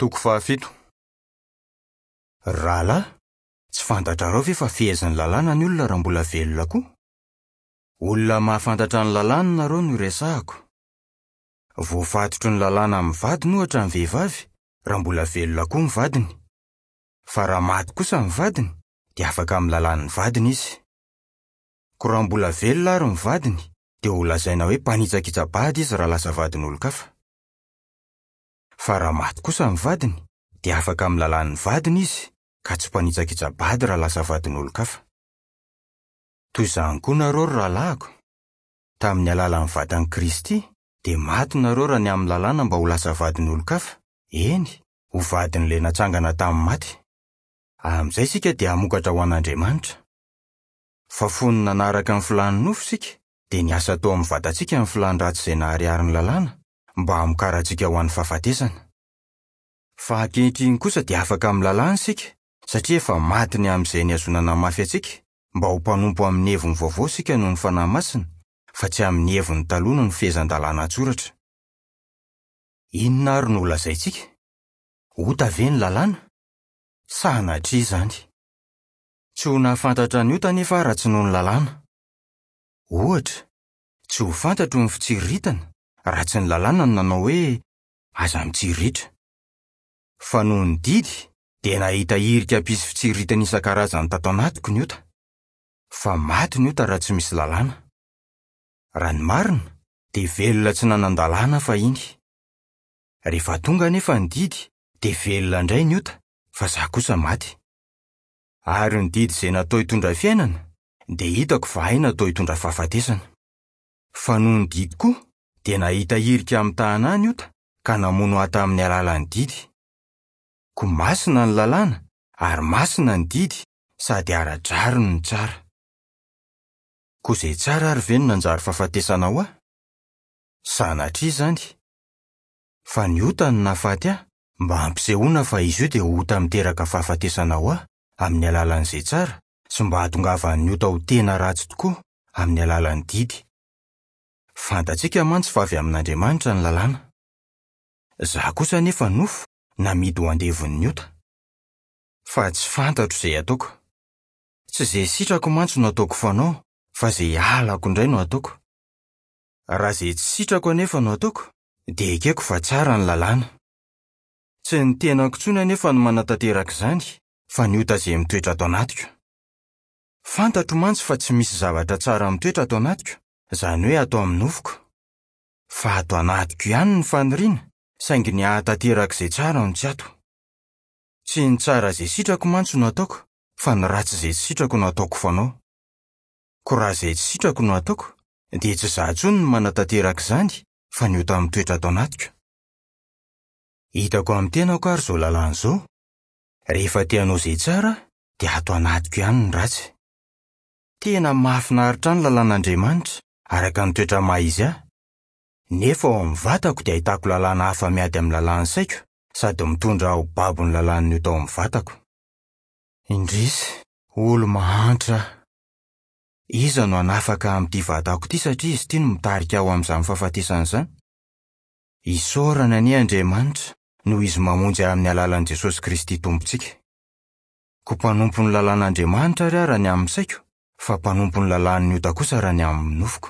Toko fahafito. Ry rahalahy, tsy fantatrareo ve fa fehezin'ny lalàna ny olona raha mbola velona koa? Olona mahafantatra ny lalàna nareo no iresahako. Voafatotry ny lalàna amin'ny vadiny ohatra ny vehivavy raha mbola velona koa ny vadiny. Fa raha maty kosa ny vadiny dia afaka amin'ny lalàn'ny vadiny izy. Koa raha mbola velona ary ny vadiny dia ho lazaina hoe mpanitsakitsa-bady izy raha lasa vadin'olon-kafa. Fa raha maty kosa ny vadiny dia afaka amin'ny lalàn'ny vadiny izy ka tsy mpanitsakitsa-bady raha lasa vadin'olon-kafa. Toy izany koa nareo ry rahalahiko, tamin'ny alalan'ny vatan'i Kristy dia maty nareo raha ny amin'ny lalàna mba ho lasa vadin'olon-kafa, eny, ho vadin'ilay natsangana tamin'ny maty. Amin'izay isika dia hamokatra ho an'Andriamanitra. Fa fony nanaraka ny filàn'ny nofo isika, dia niasa tao amin'ny vatantsika ny filàn-dratsy izay naharihary ny lalàna, mba hamokarantsika ho an'ny fahafatesana. Fa ankehitriny kosa dia afaka amin'ny lalàna isika, satria efa maty ny amin'izay nihazonana mafy antsika, mba ho mpanompo amin'ny heviny vaovao isika noho ny Fanahy Masina, fa tsy amin'ny heviny taloha noho ny fehezan-dalàna an-tsoratra. Inona àry no holazaintsika? Ota ve ny lalàna? Sanatria izany! Tsy ho nahafantatra ny ota anefa aho raha tsy noho ny lalàna. Ohatra, tsy ho fantatro ny fitsiriritana raha tsy ny lalàna no nanao hoe aza mitsiriritra. Fa noho ny didy dia nahita hirika hampisy fitsiriritana isan-karazany tato anatiko ny ota. Fa maty ny ota raha tsy misy lalàna. Raha ny marina dia velona tsy nanan-dalàna aho fahiny. Rehefa tonga anefa ny didy dia velona indray ny ota fa izaho kosa maty. Ary ny didy izay natao hitondra fiainana dia hitako fa hay natao hitondra fahafatesana. Fa noho ny didy koa dia nahita hirika hamitahana ahy ny ota ka namono ahy tamin'ny alalan'ny didy. Koa masina ny lalàna ary masina ny didy sady ara-drariny no tsara. Koa izay tsara ary ve no nanjary fahafatesana ho ahy? Sanatria izany! Fa ny ota no nahafaty ahy mba hampisehoana fa izy io dia ota miteraka fahafatesana ho ahy amin'ny alalan'izay tsara sy mba hahatongavan'ny ota ho tena ratsy tokoa amin'ny alalan'ny didy. Fantatsika mantsy fa avy amin'Andriamanitra ny lalàna. Izaho kosa anefa nofo namidy ho andevon'ny ota. Fa tsy fantatro izay ataoko. Tsy izay sitrako mantsy no ataoko fanao fa izay halako indray no ataoko. Raha izay tsy sitrako anefa no ataoko dia ekeko fa tsara ny lalàna. Tsy ny tenako intsony anefa no manatanteraka izany fa ny ota izay mitoetra ato anatiko. Fantatro mantsy fa tsy misy zavatra tsara mitoetra ato anatiko, izany hoe ato amin'ny nofoko. Fa ato anatiko ihany ny faniriana, saingy ny hahatanteraka izay tsara no tsy ato. Tsy ny tsara izay sitrako mantsy no ataoko, fa ny ratsy izay tsy sitrako no ataoko fanao. Koa raha izay tsy sitrako no ataoko, dia tsy izaho intsony no manatanteraka izany, fa ny ota mitoetra ato anatiko. Hitako amin'ny tenako ary izao lalàna izao, rehefa te hanao izay tsara aho, dia ato anatiko ihany ny ratsy. Tena mahafinaritra ahy ny lalàn'Andriamanitra, araka ny toetra maha izy ahy. Nefa ao amin'ny vatako dia ahitako lalàna hafa miady amin'ny lalàn'ny saiko sady mitondra ahy ho babo ny lalàn'ny ota ao amin'ny vatako. Indrisy, olo-mahantra aho! Iza no hanafaka ahy amin'ity vatako ity satria izy ity no mitarika ahy ho amin'izany fahafatesana izany? Isaorana anie Andriamanitra noho Izy mamonjy ahy amin'ny alalan'i Jesosy Kristy Tompontsika. Koa mpanompon'ny lalàn'Andriamanitra ary aho raha ny amin'ny saiko, fa mpanompon'ny lalàn'ny ota kosa raha ny amin'ny nofoko.